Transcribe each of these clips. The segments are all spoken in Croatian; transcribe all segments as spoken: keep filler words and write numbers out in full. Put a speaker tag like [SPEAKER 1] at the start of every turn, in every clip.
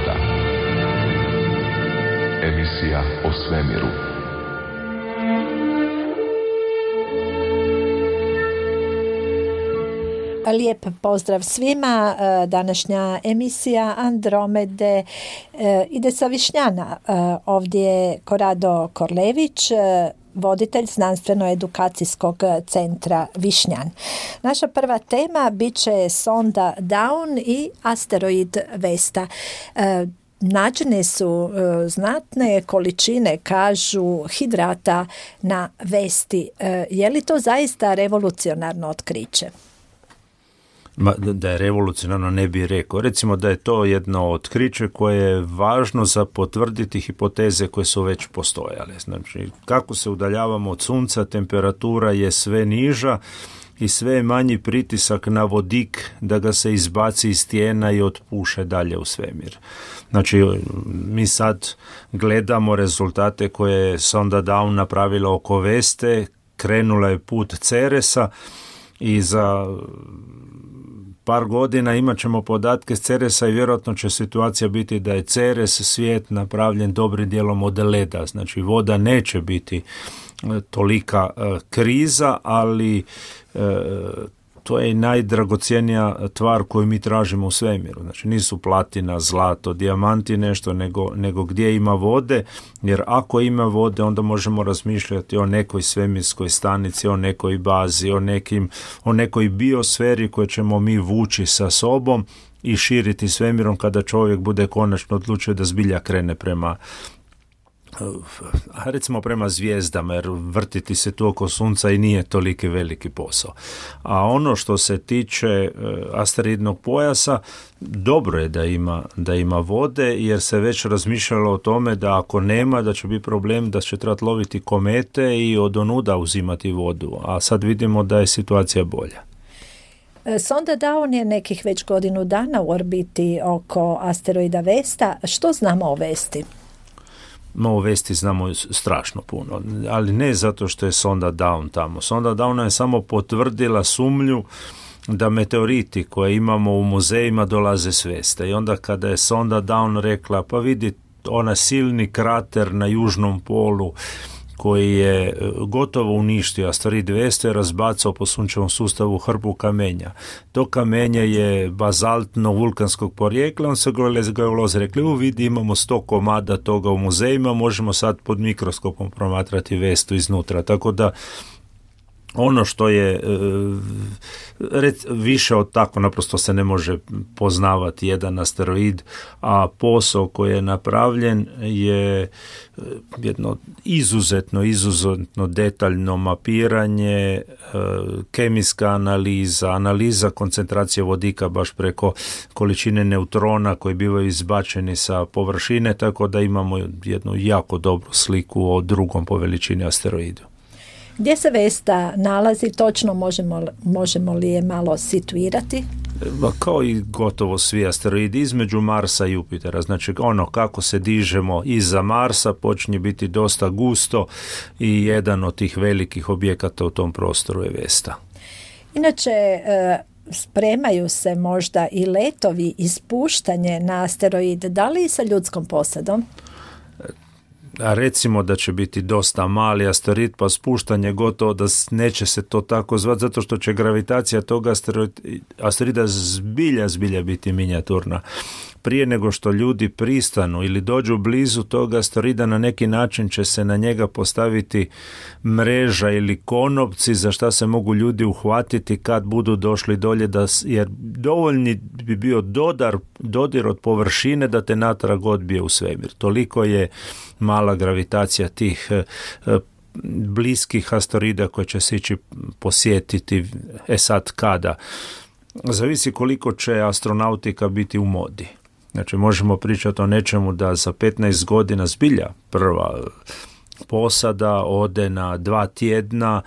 [SPEAKER 1] Vesta. Emisija o svemiru.
[SPEAKER 2] Lijep pozdrav svima. Današnja emisija Andromede ide sa Višnjana. Ovdje je Korado Korlević, voditelj znanstveno-edukacijskog centra Višnjan. Naša prva tema bit će sonda Dawn i asteroid Vesta. Nađene su znatne količine, kažu, hidrata na Vesti. Je li to zaista revolucionarno otkriće?
[SPEAKER 3] Ma, da je revolucionarno ne bi rekao. Recimo da je to jedno otkriće koje je važno za potvrditi hipoteze koje su već postojale. Znači, kako se udaljavamo od sunca, temperatura je sve niža i sve je manji pritisak na vodik da ga se izbaci iz stijena i otpuše dalje u svemir. Znači, mi sad gledamo rezultate koje je sonda Dawn napravila oko Veste, krenula je put Ceresa i za par godina imat ćemo podatke s Ceresa i vjerojatno će situacija biti da je Ceres svijet napravljen dobrim dijelom od leda. Znači, voda neće biti tolika uh, kriza, ali uh, to je i najdragocjenija tvar koju mi tražimo u svemiru. Znači, nisu platina, zlato, dijamanti nešto, nego, nego gdje ima vode, jer ako ima vode, onda možemo razmišljati o nekoj svemirskoj stanici, o nekoj bazi, o, nekim, o nekoj biosferi koju ćemo mi vući sa sobom i širiti svemirom kada čovjek bude konačno odlučio da zbilja krene prema recimo prema zvijezdama, jer vrtiti se tu oko sunca i nije toliki veliki posao. A ono što se tiče asteroidnog pojasa, dobro je da ima, da ima vode, jer se već razmišljalo o tome da ako nema, da će biti problem da će trebati loviti komete i od onuda uzimati vodu, a sad vidimo da je situacija bolja.
[SPEAKER 2] Sonda Dawn je nekih već godinu dana u orbiti oko asteroida Vesta. Što znamo o Vesti?
[SPEAKER 3] O Vesti znamo strašno puno, ali ne zato što je sonda Dawn tamo. Sonda Dawn je samo potvrdila sumnju da meteoriti koje imamo u muzejima dolaze s Veste. I onda kada je sonda Dawn rekla, pa vidi ona silni krater na južnom polu koji je gotovo uništio asteroid Vesta, razbacao po sunčevom sustavu hrpu kamenja. To kamenje je bazaltno vulkanskog porijekla, on se geolozi rekli, u vidi imamo sto komada toga u muzejima, možemo sad pod mikroskopom promatrati Vestu iznutra, tako da ono što je više od tako naprosto se ne može poznavati jedan asteroid, a posao koji je napravljen je jedno izuzetno, izuzetno detaljno mapiranje, kemijska analiza, analiza koncentracije vodika baš preko količine neutrona koji bivaju izbačeni sa površine, tako da imamo jednu jako dobru sliku o drugom po veličini asteroidu.
[SPEAKER 2] Gdje se Vesta nalazi točno, možemo, možemo li je malo situirati?
[SPEAKER 3] Kao i gotovo svi asteroidi između Marsa i Jupitera. Znači ono kako se dižemo iza Marsa počinje biti dosta gusto i jedan od tih velikih objekata u tom prostoru je Vesta.
[SPEAKER 2] Inače, spremaju se možda i letovi ispuštanje na asteroid, da li sa ljudskom posadom?
[SPEAKER 3] A recimo da će biti dosta mali asteroid, pa spuštanje gotovo da neće se to tako zvati, zato što će gravitacija toga asteroida zbilja, zbilja biti minijaturna. Prije nego što ljudi pristanu ili dođu blizu toga asteroida, na neki način će se na njega postaviti mreža ili konopci za šta se mogu ljudi uhvatiti kad budu došli dolje, da, jer dovoljni bi bio dodar, dodir od površine da te natrag odbije u svemir. Toliko je mala gravitacija tih e, bliskih asteroida koje će se ići posjetiti. E sad kada? Zavisi koliko će astronautika biti u modi. Znači možemo pričati o nečemu da za petnaest godina zbilja prva posada ode na dva tjedna,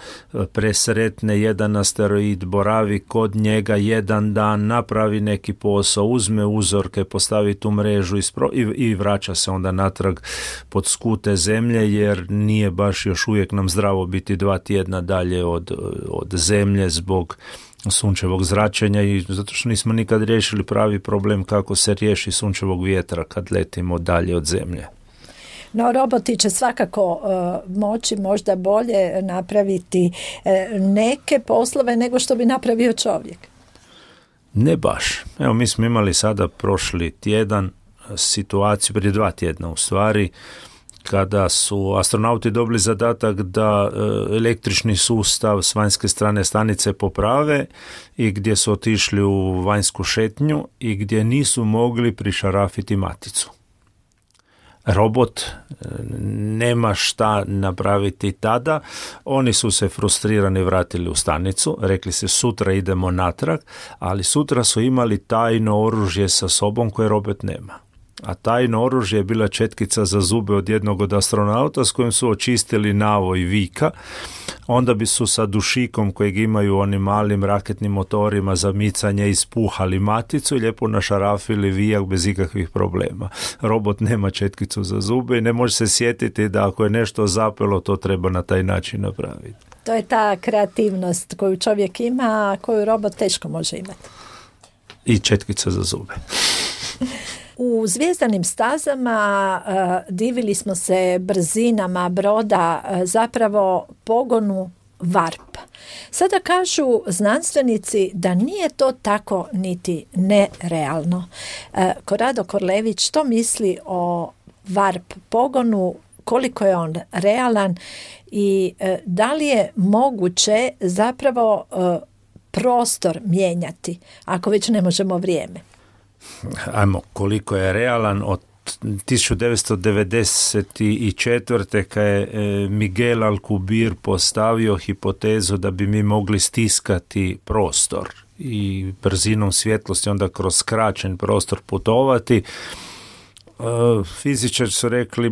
[SPEAKER 3] presretne jedan asteroid, boravi kod njega jedan dan, napravi neki posao, uzme uzorke, postavi tu mrežu ispro, i, i vraća se onda natrag pod skute zemlje, jer nije baš još uvijek nam zdravo biti dva tjedna dalje od, od zemlje zbog sunčevog zračenja i zato što nismo nikad riješili pravi problem kako se riješi sunčevog vjetra kad letimo dalje od zemlje.
[SPEAKER 2] No, roboti će svakako uh, moći možda bolje napraviti uh, neke poslove nego što bi napravio čovjek.
[SPEAKER 3] Ne baš. Evo, mi smo imali sada prošli tjedan situaciju, prije dva tjedna u stvari, kada su astronauti dobili zadatak da e, električni sustav s vanjske strane stanice poprave i gdje su otišli u vanjsku šetnju i gdje nisu mogli prišarafiti maticu. Robot nema šta napraviti tada, oni su se frustrirani vratili u stanicu, rekli se sutra idemo natrag, ali sutra su imali tajno oružje sa sobom koje robot nema. A tajno oružje je bila četkica za zube od jednog od astronauta s kojim su očistili navoj vika, onda bi su sa dušikom kojeg imaju onim malim raketnim motorima za micanje ispuhali maticu i lijepo našarafili vijak bez ikakvih problema. Robot nema četkicu za zube i ne može se sjetiti da ako je nešto zapelo, to treba na taj način napraviti.
[SPEAKER 2] To je ta kreativnost koju čovjek ima, a koju robot teško može imati.
[SPEAKER 3] I četkica za zube.
[SPEAKER 2] U zvijezdanim stazama uh, divili smo se brzinama broda, uh, zapravo pogonu varp. Sada kažu znanstvenici da nije to tako niti nerealno. Uh, Korado Korlević, što misli o varp pogonu, koliko je on realan i uh, da li je moguće zapravo uh, prostor mijenjati, ako već ne možemo vrijeme?
[SPEAKER 3] Ajmo, koliko je realan od tisuću devetsto devedeset četvrte kad je Miguel Alcubierre postavio hipotezu da bi mi mogli stiskati prostor i brzinom svjetlosti onda kroz skraćen prostor putovati, fizičari su rekli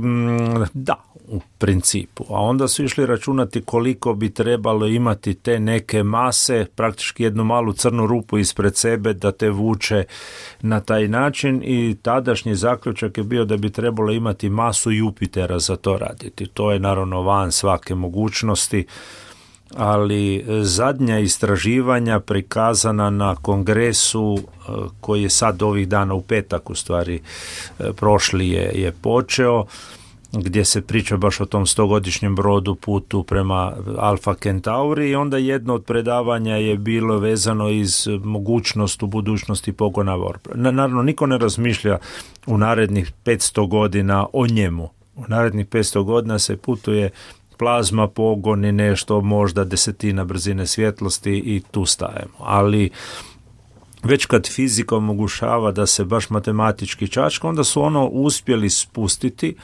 [SPEAKER 3] da, u principu, a onda su išli računati koliko bi trebalo imati te neke mase, praktički jednu malu crnu rupu ispred sebe da te vuče na taj način i tadašnji zaključak je bio da bi trebalo imati masu Jupitera za to raditi. To je naravno van svake mogućnosti, ali zadnja istraživanja prikazana na kongresu koji je sad ovih dana u petak u stvari prošli je, je počeo, gdje se priča baš o tom stogodišnjem brodu putu prema Alfa Centauri i onda jedno od predavanja je bilo vezano iz mogućnost u budućnosti pogona varpa. Naravno, niko ne razmišlja u narednih petsto godina o njemu. U narednih petsto godina se putuje plazma, pogon i nešto, možda desetina brzine svjetlosti i tu stajemo. Ali već kad fizika omogućava da se baš matematički čačka, onda su ono uspjeli spustiti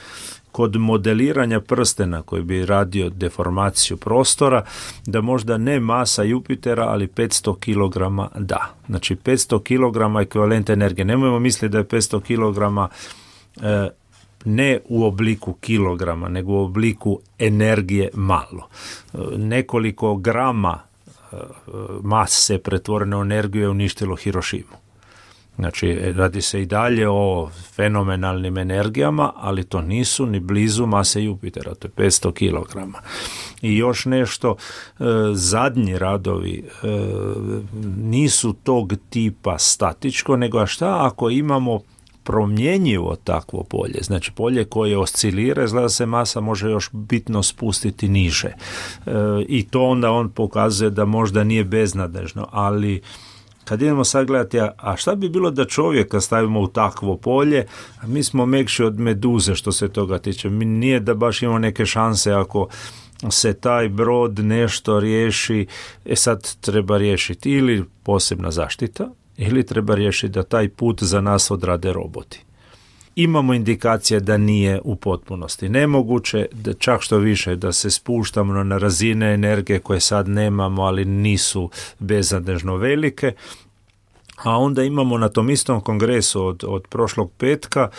[SPEAKER 3] kod modeliranja prstena koji bi radio deformaciju prostora, da možda ne masa Jupitera, ali petsto kilograma da. Znači petsto kilograma ekvivalent energije. Nemojmo misliti da je petsto kilograma e, ne u obliku kilograma, nego u obliku energije malo. E, nekoliko grama e, mase pretvorene u energiju je uništilo Hirošimu. Znači, radi se i dalje o fenomenalnim energijama, ali to nisu ni blizu mase Jupitera, to je petsto kilograma. I još nešto, e, zadnji radovi e, nisu tog tipa statičko, nego a šta ako imamo promjenjivo takvo polje, znači polje koje oscilira, izgleda se masa može još bitno spustiti niže. E, I to onda on pokazuje da možda nije beznadežno, ali kad idemo sad gledati, a šta bi bilo da čovjeka stavimo u takvo polje, a mi smo mekši od meduze što se toga tiče. Mi nije da baš imamo neke šanse ako se taj brod nešto riješi, e sad treba riješiti ili posebna zaštita, ili treba riješiti da taj put za nas odrade roboti. Imamo indikacije da nije u potpunosti nemoguće, da čak što više da se spuštamo na razine energije koje sad nemamo, ali nisu beznadežno velike. A onda imamo na tom istom kongresu od, od prošlog petka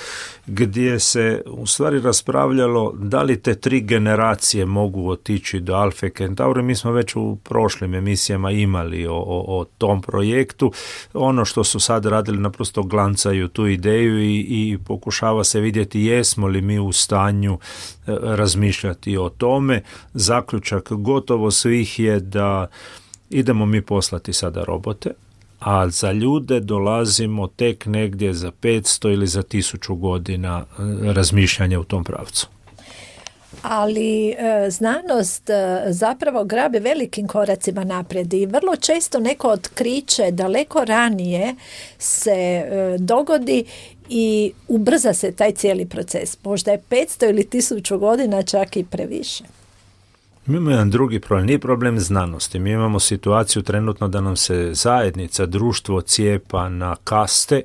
[SPEAKER 3] gdje se u stvari raspravljalo da li te tri generacije mogu otići do Alfa Centauri. Mi smo već u prošlim emisijama imali o, o, o tom projektu. Ono što su sad radili naprosto glancaju tu ideju i, i pokušava se vidjeti jesmo li mi u stanju razmišljati o tome. Zaključak gotovo svih je da idemo mi poslati sada robote, a za ljude dolazimo tek negdje za petsto ili za tisuću godina razmišljanja u tom pravcu.
[SPEAKER 2] Ali e, znanost e, zapravo grabe velikim koracima naprijed i vrlo često neko otkriće daleko ranije se e, dogodi i ubrza se taj cijeli proces. Možda je petsto ili tisuću godina čak i previše.
[SPEAKER 3] Mi imamo jedan drugi problem, nije problem znanosti. Mi imamo situaciju trenutno da nam se zajednica, društvo cijepa na kaste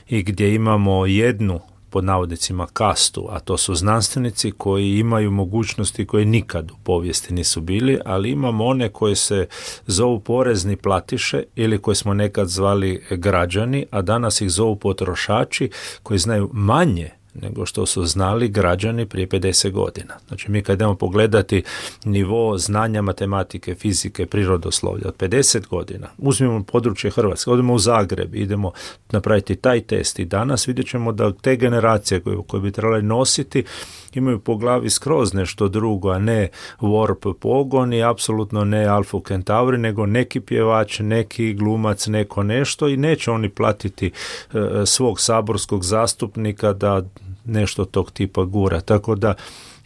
[SPEAKER 3] i gdje imamo jednu, pod navodnicima, kastu, a to su znanstvenici koji imaju mogućnosti koje nikad u povijesti nisu bili, ali imamo one koje se zovu porezni platiše ili koje smo nekad zvali građani, a danas ih zovu potrošači koji znaju manje nego što su znali građani prije pedeset godina. Znači mi kad idemo pogledati nivo znanja matematike, fizike, prirodoslovlja od pedeset godina, uzmimo područje Hrvatske, odemo u Zagreb, idemo napraviti taj test i danas vidjet ćemo da te generacije koje, koje bi trebali nositi imaju po glavi skroz nešto drugo, a ne Warp pogon i apsolutno ne Alpha Centauri, nego neki pjevač, neki glumac, neko nešto i neće oni platiti e, svog saborskog zastupnika da nešto tog tipa gura. Tako da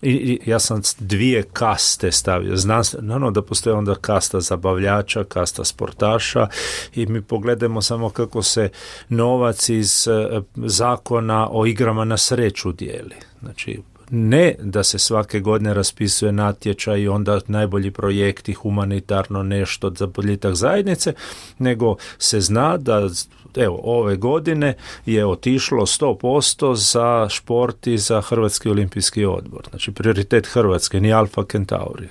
[SPEAKER 3] i, i ja sam dvije kaste stavio. Naravno da postoje onda kasta zabavljača, kasta sportaša i mi pogledamo samo kako se novac iz e, zakona o igrama na sreću dijeli. Znači, ne da se svake godine raspisuje natječaj i onda najbolji projekti, humanitarno nešto za boljitak zajednice, nego se zna da evo, ove godine je otišlo sto posto za šport i za Hrvatski olimpijski odbor. Znači, prioritet Hrvatske, ni Alpha Centauri.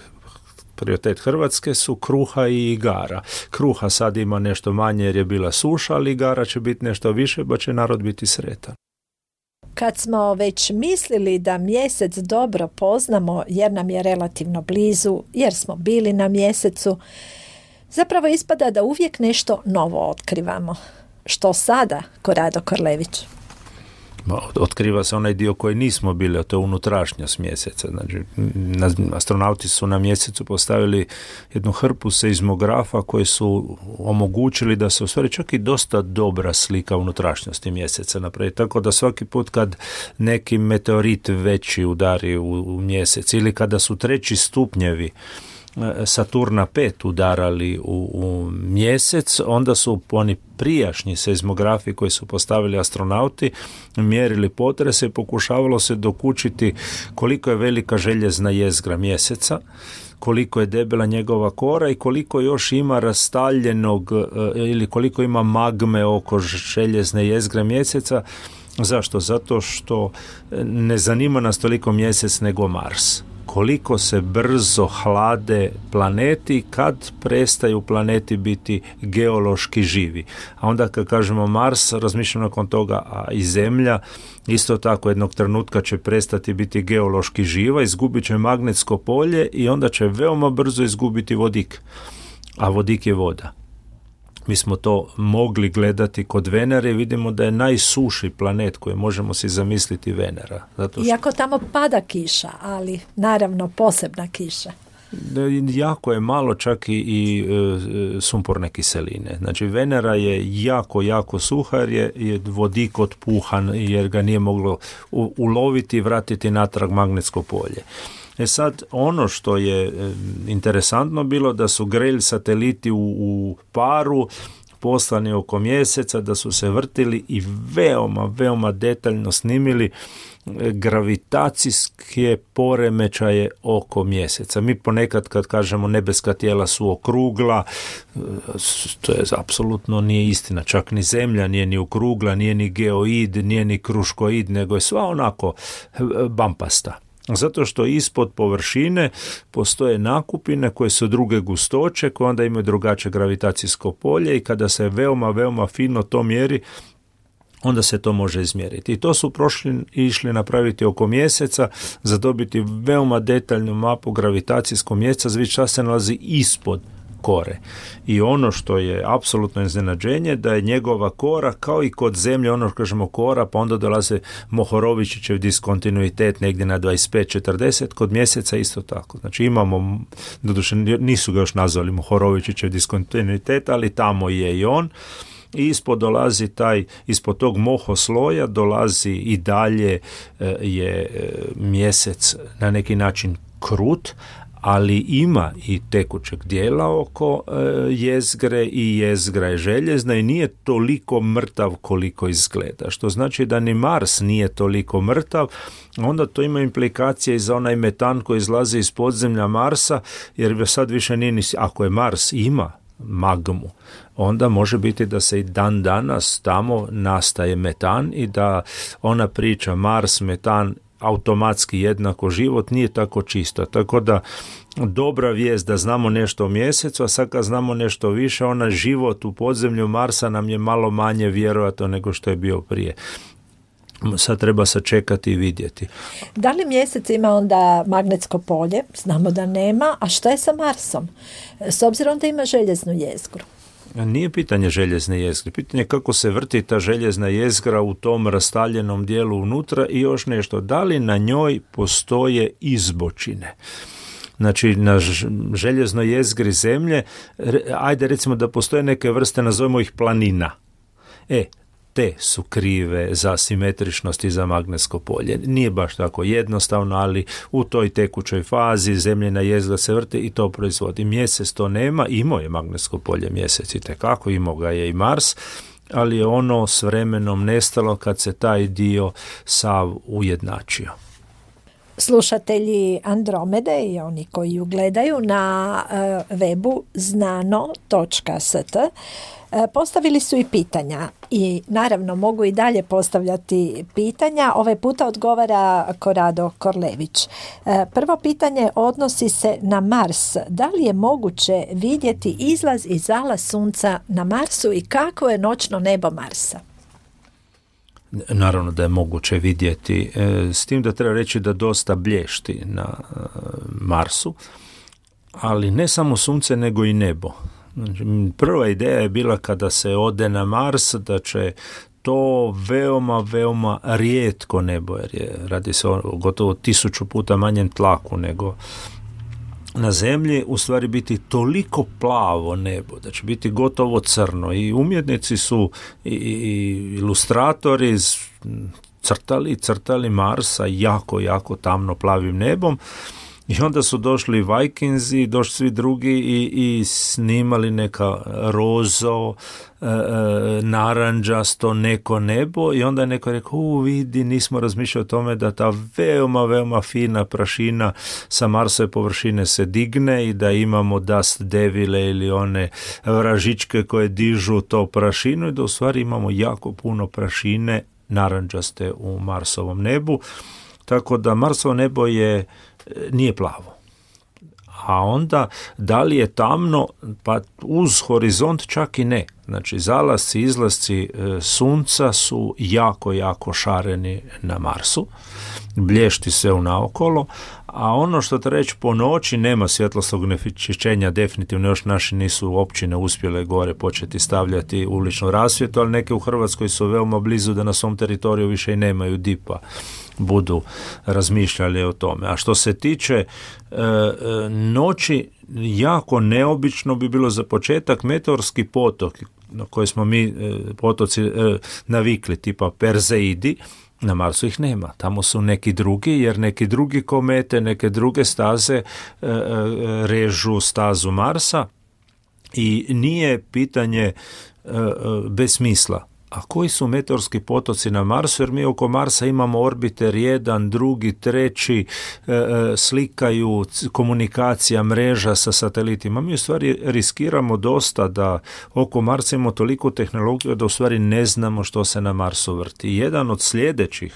[SPEAKER 3] Prioritet Hrvatske su kruha i igara. Kruha sad ima nešto manje jer je bila suša, ali igara će biti nešto više, pa će narod biti sretan.
[SPEAKER 2] Kad smo već mislili da mjesec dobro poznamo jer nam je relativno blizu, jer smo bili na mjesecu, zapravo ispada da uvijek nešto novo otkrivamo. Što sada, Korado Korlević?
[SPEAKER 3] Otkriva se onaj dio koji nismo bili, a to je unutrašnjost mjeseca. Znači, astronauti su na mjesecu postavili jednu hrpu seizmografa koji su omogućili da se u stvari čak i dosta dobra slika unutrašnjosti mjeseca napravi. Tako da svaki put kad neki meteorit veći udari u, u mjesec ili kada su treći stupnjevi Saturna pet udarali u, u mjesec, onda su oni prijašnji seizmografi koji su postavili astronauti mjerili potrese i pokušavalo se dokučiti koliko je velika željezna jezgra mjeseca, koliko je debela njegova kora i koliko još ima rastaljenog ili koliko ima magme oko željezne jezgre mjeseca. Zašto? Zato što ne zanima nas toliko mjesec nego Mars. Koliko se brzo hlade planeti kad prestaju planeti biti geološki živi. A onda kad kažemo Mars, razmišljamo nakon toga, a i Zemlja isto tako jednog trenutka će prestati biti geološki živa, izgubit će magnetsko polje i onda će veoma brzo izgubiti vodik. A vodik je voda. Mi smo to mogli gledati kod Venere i vidimo da je najsuši planet koji možemo si zamisliti Venera. Zato što...
[SPEAKER 2] Iako tamo pada kiša, ali naravno posebna kiša.
[SPEAKER 3] Jako je malo čak i, i e, sumporne kiseline. Znači Venera je jako, jako suha jer je, je vodik otpuhan jer ga nije moglo u, uloviti i vratiti natrag magnetsko polje. E sad, ono što je interesantno bilo da su Grail sateliti u, u paru poslani oko mjeseca, da su se vrtili i veoma, veoma detaljno snimili gravitacijske poremećaje oko mjeseca. Mi ponekad kad kažemo nebeska tijela su okrugla, to je apsolutno nije istina. Čak ni Zemlja nije ni okrugla, nije ni geoid, nije ni kruškoid, nego je sva onako bampasta. Zato što ispod površine postoje nakupine koje su druge gustoće, koje onda imaju drugačije gravitacijsko polje i kada se veoma, veoma fino to mjeri, onda se to može izmjeriti. I to su prošli išli napraviti oko mjeseca za dobiti veoma detaljnu mapu gravitacijskog mjeseca, znači šta se nalazi ispod kore. I ono što je apsolutno iznenađenje, da je njegova kora, kao i kod Zemlje, ono što kažemo kora, pa onda dolaze Mohorovičićev diskontinuitet negdje na dvadeset pet četrdeset, kod Mjeseca isto tako. Znači imamo, doduše nisu ga još nazvali Mohorovičićev diskontinuitet, ali tamo je i on. I ispod dolazi taj, ispod tog mohosloja dolazi i dalje je Mjesec na neki način krut, ali ima i tekućeg dijela oko e, jezgre i jezgra je željezna i nije toliko mrtav koliko izgleda. Što znači da ni Mars nije toliko mrtav, onda to ima implikacije i za onaj metan koji izlazi iz podzemlja Marsa, jer sad više nije, ako je Mars ima magmu, onda može biti da se i dan danas tamo nastaje metan i da ona priča Mars, metan, automatski jednako život nije tako čisto. Tako da dobra vijest da znamo nešto o Mjesecu, a sad kad znamo nešto više, ona život u podzemlju Marsa nam je malo manje vjerojatno nego što je bio prije. Sad treba sačekati i vidjeti.
[SPEAKER 2] Da li Mjesec ima onda magnetsko polje? Znamo da nema. A šta je sa Marsom? S obzirom da ima željeznu jezgru.
[SPEAKER 3] Nije pitanje željezne jezgre, pitanje je kako se vrti ta željezna jezgra u tom rastaljenom dijelu unutra i još nešto. Da li na njoj postoje izbočine? Znači, na željeznoj jezgri Zemlje, ajde recimo da postoje neke vrste, nazovimo ih planina. E, te su krive za simetričnost i za magnetsko polje. Nije baš tako jednostavno, ali u toj tekućoj fazi Zemljina jezgra se vrti i to proizvodi. Mjesec to nema, imao je magnetsko polje Mjesec itekako, imao ga je i Mars, ali je ono s vremenom nestalo kad se taj dio sav ujednačio.
[SPEAKER 2] Slušatelji Andromede i oni koji ju gledaju na uh, webu znano točka s t postavili su i pitanja i naravno mogu i dalje postavljati pitanja. Ovaj puta odgovara Korado Korlević. Prvo pitanje odnosi se na Mars. Da li je moguće vidjeti izlaz i zalaz sunca na Marsu i kako je noćno nebo Marsa?
[SPEAKER 3] Naravno da je moguće vidjeti, s tim da treba reći da dosta blješti na Marsu, ali ne samo sunce nego i nebo. Prva ideja je bila kada se ode na Mars da će to veoma, veoma rijetko nebo, jer je, radi se o gotovo tisuću puta manjem tlaku nego na Zemlji, u stvari biti toliko plavo nebo da će biti gotovo crno. I umjetnici su i, i ilustratori crtali, crtali Marsa jako, jako tamno plavim nebom. I onda su došli Vikingsi, došli svi drugi i, i snimali neka rozo, e, naranđasto, neko nebo i onda je neko rekao, u vidi, nismo razmišljali o tome da ta veoma, veoma fina prašina sa Marsove površine se digne i da imamo dust devile ili one vražičke koje dižu to prašinu i da u stvari imamo jako puno prašine naranđaste u Marsovom nebu. Tako da Marsovo nebo je nije plavo. A onda, da li je tamno? Pa uz horizont čak i ne. Znači, zalasci, izlasci e, sunca su jako, jako šareni na Marsu. Blješti sve unaokolo. A ono što treba reći, po noći nema svjetlosnog onečišćenja, definitivno još naši nisu općine uspjele gore početi stavljati uličnu rasvjetu, ali neke u Hrvatskoj su veoma blizu da na svom teritoriju više i nemaju dipa, budu razmišljali o tome. A što se tiče e, noći, jako neobično bi bilo za početak meteorski potok na koji smo mi e, potoci e, navikli, tipa Perzeidi. Na Marsu ih nema, tamo su neki drugi, jer neki drugi komete, neke druge staze e, e, režu stazu Marsa i nije pitanje e, e, bez smisla. A koji su meteorski potoci na Marsu? Jer mi oko Marsa imamo orbiter jedan, drugi, treći, e, slikaju komunikacija, mreža sa satelitima. Mi u stvari riskiramo dosta da oko Marsa imamo toliko tehnologiju da u stvari ne znamo što se na Marsu vrti. Jedan od sljedećih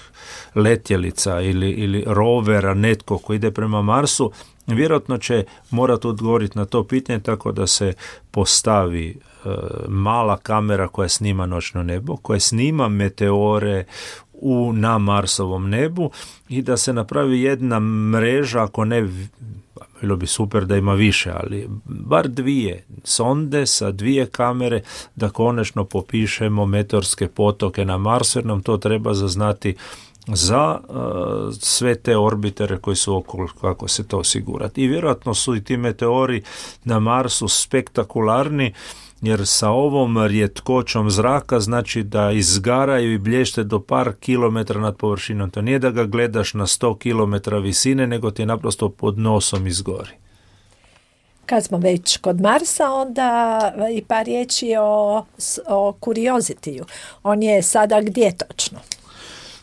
[SPEAKER 3] letjelica ili, ili rovera, netko koji ide prema Marsu, vjerojatno će morati odgovoriti na to pitanje tako da se postavi e, mala kamera koja snima noćno nebo, koja snima meteore u, na Marsovom nebu i da se napravi jedna mreža, ako ne, bilo bi super da ima više, ali bar dvije sonde sa dvije kamere da konačno popišemo meteorske potoke na Marsu, jer nam to treba zaznati za uh, sve te orbitere koji su okolo, kako se to osigurati. I vjerojatno su i ti meteori na Marsu spektakularni, jer sa ovom rijetkoćom zraka znači da izgaraju i blješte do par kilometra nad površinom. To nije da ga gledaš na sto kilometara visine, nego ti naprosto pod nosom izgori.
[SPEAKER 2] Kad smo već kod Marsa, onda i par riječi o, o Curiosity-u. On je sada gdje točno?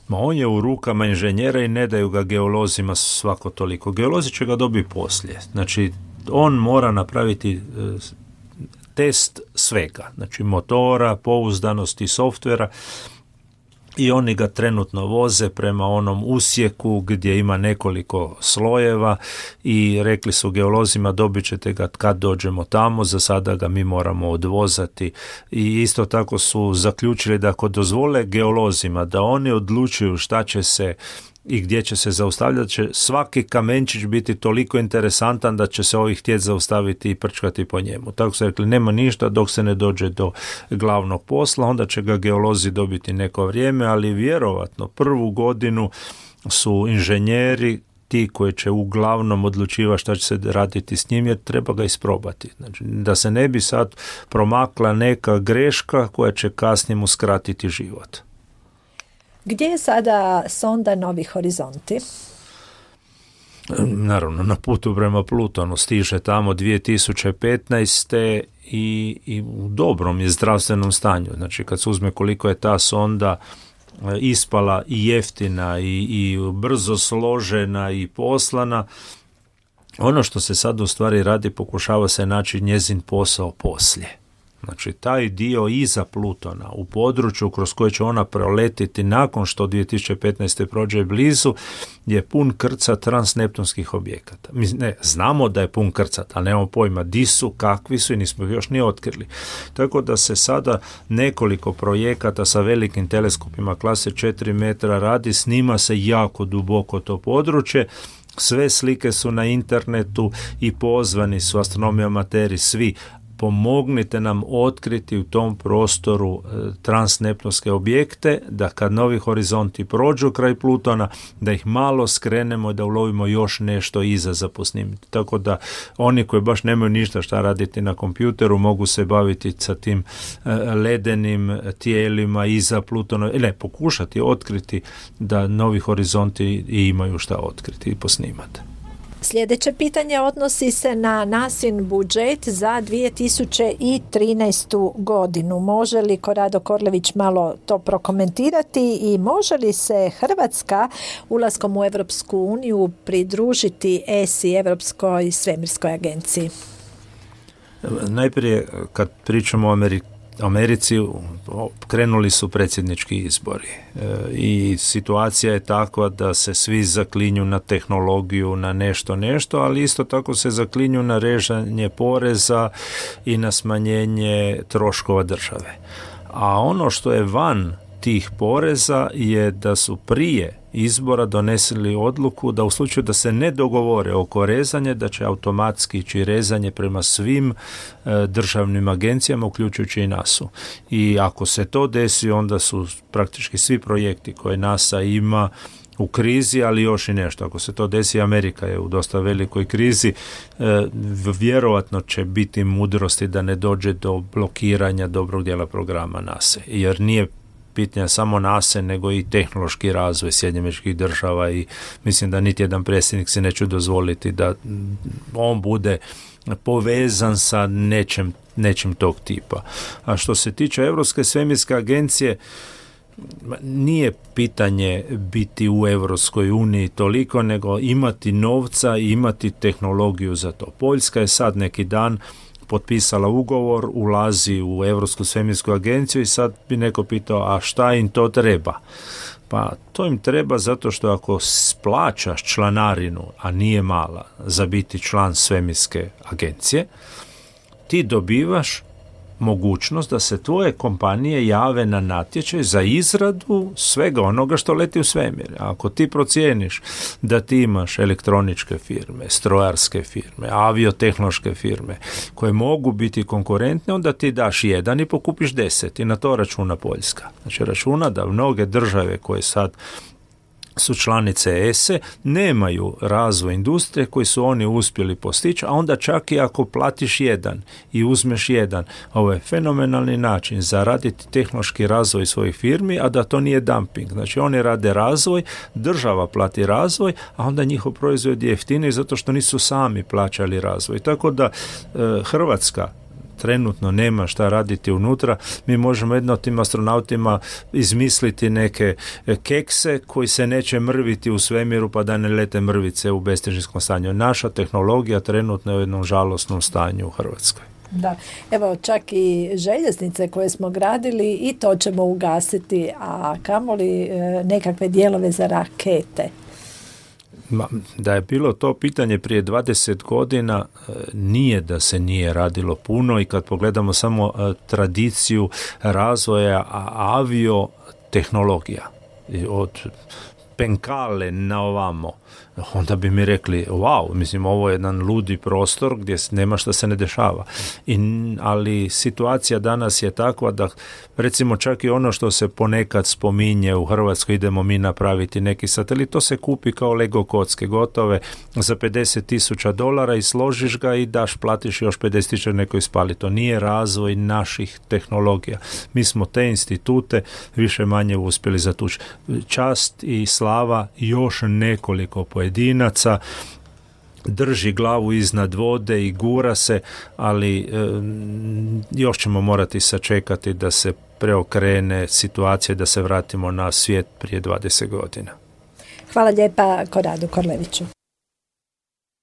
[SPEAKER 3] Ma on je u rukama inženjera i ne daju ga geolozima svako toliko. Geolozi će ga dobiti poslije. Znači, on mora napraviti test svega, znači motora, pouzdanosti softvera, i oni ga trenutno voze prema onom usjeku gdje ima nekoliko slojeva i rekli su geolozima dobit ćete ga kad dođemo tamo, za sada ga mi moramo odvozati. I isto tako su zaključili da ako dozvole geolozima da oni odlučuju šta će se i gdje će se zaustavljati, će svaki kamenčić biti toliko interesantan da će se ovih htjeti zaustaviti i prčkati po njemu. Tako su rekli, nema ništa dok se ne dođe do glavnog posla, onda će ga geolozi dobiti neko vrijeme, ali vjerovatno prvu godinu su inženjeri ti koji će uglavnom odlučivati šta će se raditi s njim, jer treba ga isprobati. Znači, da se ne bi sad promakla neka greška koja će kasnije mu skratiti život.
[SPEAKER 2] Gdje je sada sonda Novi horizonti?
[SPEAKER 3] Naravno, na putu prema Plutonu, stiže tamo dvije tisuće petnaeste. I, i u dobrom je zdravstvenom stanju. Znači, kad se uzme koliko je ta sonda ispala i jeftina i, i brzo složena i poslana, ono što se sad u stvari radi, pokušava se naći njezin posao poslije. Znači, taj dio iza Plutona, u području kroz koje će ona proletiti nakon što dvije tisuće petnaeste. prođe blizu, je pun krcat transneptunskih objekata. Mi ne, znamo da je pun krcat, ali nemamo pojma di su, kakvi su i nismo ih još ni otkrili. Tako da se sada nekoliko projekata sa velikim teleskopima klase četiri metra radi, snima se jako duboko to područje. Sve slike su na internetu i pozvani su astronomi amateri svi. Pomognite nam otkriti u tom prostoru e, transneptunske objekte, da kad Novi horizonti prođu kraj Plutona, da ih malo skrenemo i da ulovimo još nešto iza za posnimiti. Tako da oni koji baš nemaju ništa šta raditi na kompjuteru mogu se baviti sa tim e, ledenim tijelima iza Plutona, ne, pokušati otkriti da Novi horizonti imaju šta otkriti i posnimati.
[SPEAKER 2] Sljedeće pitanje odnosi se na nasin budžet za dvije tisuće trinaestu. godinu. Može li Korado Korlević malo to prokomentirati i može li se Hrvatska ulaskom u Europsku uniju pridružiti E S I, Europskoj svemirskoj agenciji?
[SPEAKER 3] Najprije, kad pričamo o Americi, Americi krenuli su predsjednički izbori e, i situacija je takva da se svi zaklinju na tehnologiju, na nešto nešto, ali isto tako se zaklinju na rezanje poreza i na smanjenje troškova države. A ono što je van tih poreza je da su prije izbora donesili odluku da u slučaju da se ne dogovore oko rezanja, da će automatski ići rezanje prema svim e, državnim agencijama, uključujući i nasu. I ako se to desi, onda su praktički svi projekti koje NASA ima u krizi, ali još i nešto. Ako se to desi, Amerika je u dosta velikoj krizi, e, vjerovatno će biti mudrosti da ne dođe do blokiranja dobrog dijela programa NASA, jer nije pitanja samo NASA, nego i tehnološki razvoj Sjedinjenih Američkih Država i mislim da niti jedan predsjednik se neće dozvoliti da on bude povezan sa nečem, nečim tog tipa. A što se tiče Europske svemirske agencije, nije pitanje biti u Europskoj uniji toliko, nego imati novca i imati tehnologiju za to. Poljska je sad neki dan potpisala ugovor, ulazi u Europsku svemirsku agenciju i sad bi neko pitao, a šta im to treba? Pa to im treba zato što ako plaćaš članarinu, a nije mala, za biti član svemirske agencije, ti dobivaš mogućnost da se tvoje kompanije jave na natječaj za izradu svega onoga što leti u svemir. Ako ti procijeniš da ti imaš elektroničke firme, strojarske firme, aviotehnološke firme koje mogu biti konkurentne, onda ti daš jedan i pokupiš deset i na to računa Poljska. Znači računa da mnoge države koje sad su članice E S E nemaju razvoj industrije koji su oni uspjeli postići, a onda čak i ako platiš jedan i uzmeš jedan, ovo je fenomenalni način za raditi tehnološki razvoj svojih firmi, a da to nije dumping. Znači oni rade razvoj, država plati razvoj, a onda njihov proizvod je jeftiniji zato što nisu sami plaćali razvoj. Tako da e, Hrvatska trenutno nema šta raditi unutra, mi možemo jedno tim astronautima izmisliti neke kekse koji se neće mrviti u svemiru pa da ne lete mrvice u bestežinskom stanju. Naša tehnologija trenutno je u jednom žalosnom stanju u Hrvatskoj.
[SPEAKER 2] Da, evo čak i željeznice koje smo gradili i to ćemo ugasiti, a kamoli e, nekakve dijelove za rakete.
[SPEAKER 3] Da je bilo to pitanje prije dvadeset godina, nije da se nije radilo puno i kad pogledamo samo tradiciju razvoja aviotehnologija od Penkale na ovamo, onda bi mi rekli, wow, mislim, ovo je jedan ludi prostor gdje nema šta se ne dešava. I, ali situacija danas je takva da, recimo, čak i ono što se ponekad spominje u Hrvatskoj, idemo mi napraviti neki satelit, to se kupi kao Lego kocke, gotove za pedeset tisuća dolara i složiš ga i daš, platiš još pedeset tisuća, neko ispali. To nije razvoj naših tehnologija. Mi smo te institute više manje uspjeli zatući. Čast i slava još nekoliko pojedinaca drži glavu iznad vode i gura se, ali e, još ćemo morati sačekati da se preokrene situacija, da se vratimo na svijet prije dvadeset godina.
[SPEAKER 2] Hvala lijepa Koradu Korleviću.